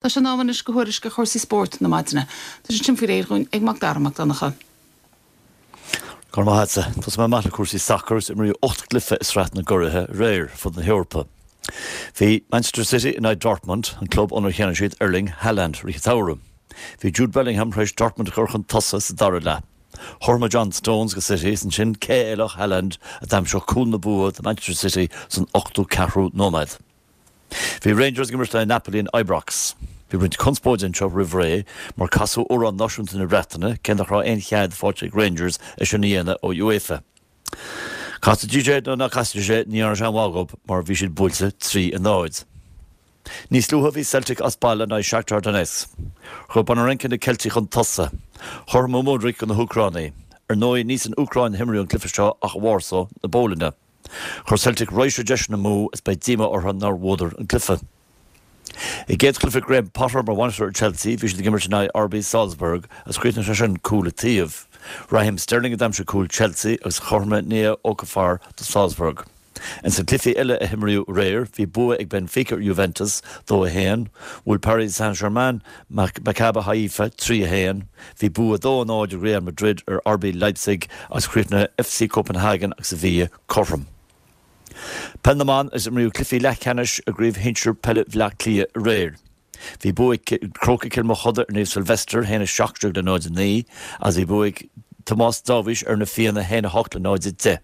Tá sé in am anois do thuairisc ar chúrsaí spóirt na maidine. Tá sé sin faoi réir dhúinn ag Mac Dara Mac Donncha. Go raibh maith agatsa. Tosóidh mé amach le cúrsaí sacair agus imríodh 8 gcluiche i Sraith na gCuraithe aréir ar fud na hEorpa. Bhí Manchester City in aghaidh Dortmund, an club ónar cheannaigh siad Erling Haaland i rith an tsamhraidh. Bhí Jude Bellingham tar éis Dortmund a chur chun tosaigh sa dara leath. Chothromaigh John Stones do City is ansin cé eile ach Haaland a d'aimseodh cúl na bua do Manchester City san ochtú ceathrú nóiméad. Bhí Rangers ag imirt le Napoli in Ibrox. Bhí roinnt conspóide anseo roimh ré mar casadh amhrán náisiúnta na Breataine cé nach raibh aon chead faighte ag Rangers é sin a dhéanamh ó UEFA. Castaidís é nó ná castaidís é ní dhearna sé aon mhaith dhóibh mar bhí siad buailte 3 a 0. Níos luaithe bhí Celtic as baile in aghaidh Shakhtar Donetsk. Chuir Bondarenko na Ceiltigh chun tosaigh. Chothromaigh Mudryk do na hÚcránaigh. Ar ndóigh ní san Úcráin a himríodh an cluiche seo ach i Warsaw na Polainne. Chuir Celtic raidhse deiseanna amú is beidh díomá orthu nár bhuadar an cluiche. I gcéad chluiche Graham Potter mar bhainisteoir ar Chelsea, bhí siad ag imirt in aghaidh RB Salzburg agus chríochnaigh sé sin cúl an taobh. Raheem Sterling a d'aimsigh cúl Chelsea agus chothromaigh Noah Okafor do Salzburg. Ins na cluichí eile a himríodh aréir, bhí bua ag Benfica ar Juventus, 2, 1, bhuail Paris Saint-Germain Maccabi Haifa, 3, 1, bhí bua 2, 0 ag Real Madrid ar RB Leipzig agus chríochnaigh FC Copenhagen agus Sevilla cothrom. Peil na mBan agus imríodh cluichí leathcheannais i gCraobh Shinsir Peile Bhaile Átha Cliath aréir. Bhí bua ag Crócaigh Chill Mochuda ar Naomh Sylvester, 1, 17 le 0, 9, agus bhí bua ag Tomás Dáibhís ar Na Fianna, 1, 8 le 0, 10.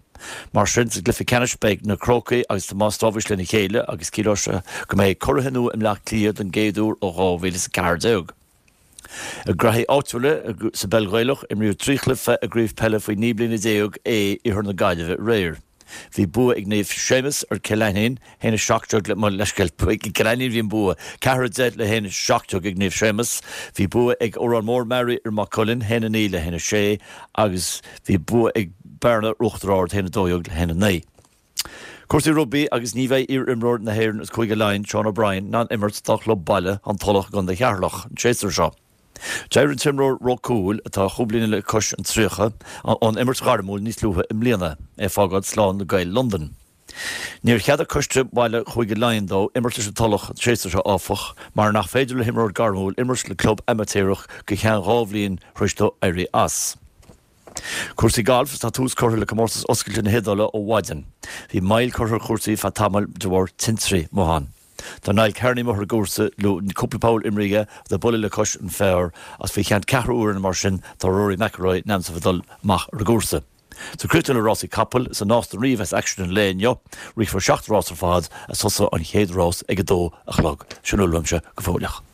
Mar sin, sa gcluiche ceannais beidh na Crócaigh agus Tomás Dáibhís lena chéile agus ciallóidh sé go mbeidh curaithe nua i mBleá Cliath don gcéad uair ó 2014. I ngraithí áitiúla sa bpeil Ghaelach, imríodh 3 chluiche i gCraobh Peile faoi 19 bliana A Iarthar na Gaillimhe aréir. Bhí bua ag Naomh Séamus ar Cill Ainnín, 1, 17 le, mo leithscéal, ag Cill Ainnín a bhí an bua, 4, 10 le 1, 17 ag Naomh Séamus. Bhí bua ag Órán Mór Meáraí ar Maigh Cuilinn, 1, 9 le 1, 6 agus bhí bua ag Bearna ar Uachtar Ard, 1, 12 le 1, 9. Cúrsaí rugbaí agus ní bheidh iar-imreoir na hÉireann agus Cúige Laighean, Sean O'Brien, in ann imirt dá chlub baile, An Tulach i gContae Cheatharlach, an séasúr seo. D'éirigh an t-imreoir ró cúil, atá chúpla bliain le cois an 30, ón imirt ghairmiúil níos luaithe i mbliana, é ag fágáil slán le Gaeil Londan. Níor cheadaigh coiste baile Chúige Laighean dó imirt leis an Tulach an séasúr seo áfach, mar nach féidir le himreoir gairmiúil imirt le club amaitéarach go ceann 2 bhliain tar éis dó éirí as. Cúrsaí gailf, Tá tús curtha le Comórtas Oscailte na hIodáile ó mhaidin. Bhí moill curtha ar chúrsaí feadh tamaill de bharr tintrí amuigh ann. Tá Niall Kearney amuigh ar an gcúrsa le cúpla poll imrithe aige agus é ag bualadh le cois an phar agus faoi cheann ceathrú uaire nó mar sin tá Rory McIlroy in ainm is a bheith ag dul amach ar an gcúrsa. So críochnóidh le rásaí capall, is i Nás na Rí a bheas aicsean an lae inniu. Rithfear 7 rás ar fad agus tosóidh an chéad rás ag 2 a chlog. Sin a bhfuil uaimse go fóilleach.